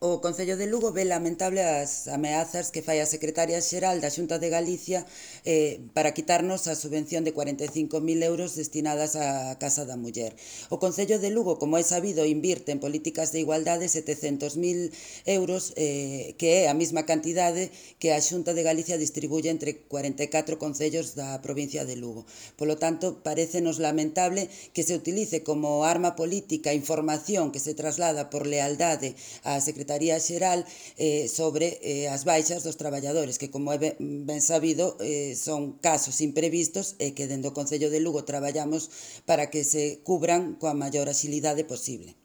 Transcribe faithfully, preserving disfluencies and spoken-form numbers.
O Concello de Lugo ve lamentable as ameazas que fai a Secretaria Xeral da Xunta de Galicia eh, para quitarnos a subvención de cuarenta e cinco mil euros destinadas á Casa da Muller. O Concello de Lugo, como é sabido, invirte en políticas de igualdade setecentos mil euros, eh, que é a mesma cantidade que a Xunta de Galicia distribuye entre cuarenta e catro concellos da provincia de Lugo. Polo tanto, parecenos lamentable que se utilice como arma política información que se traslada por lealdade á Secretaría Secretaría Xeral eh, sobre eh, as baixas dos traballadores, que como é ben, ben sabido eh, son casos imprevistos e que dende o Concello de Lugo traballamos para que se cubran coa maior axilidade posible.